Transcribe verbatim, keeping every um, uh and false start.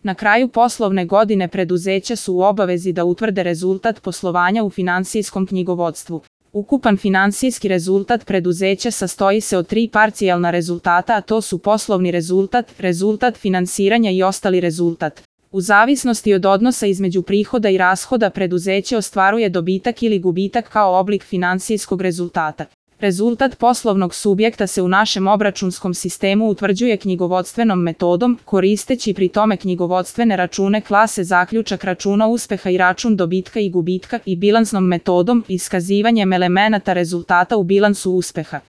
Na kraju poslovne godine preduzeća su u obavezi da utvrde rezultat poslovanja u finansijskom knjigovodstvu. Ukupan finansijski rezultat preduzeća sastoji se od tri parcijalna rezultata, a to su poslovni rezultat, rezultat finansiranja i ostali rezultat. U zavisnosti od odnosa između prihoda i rashoda preduzeće ostvaruje dobitak ili gubitak kao oblik finansijskog rezultata. Rezultat poslovnog subjekta se u našem obračunskom sistemu utvrđuje knjigovodstvenom metodom, koristeći pri tome knjigovodstvene račune klase zaključak računa uspeha i račun dobitka i gubitka i bilansnom metodom, iskazivanjem elemenata rezultata u bilansu uspeha.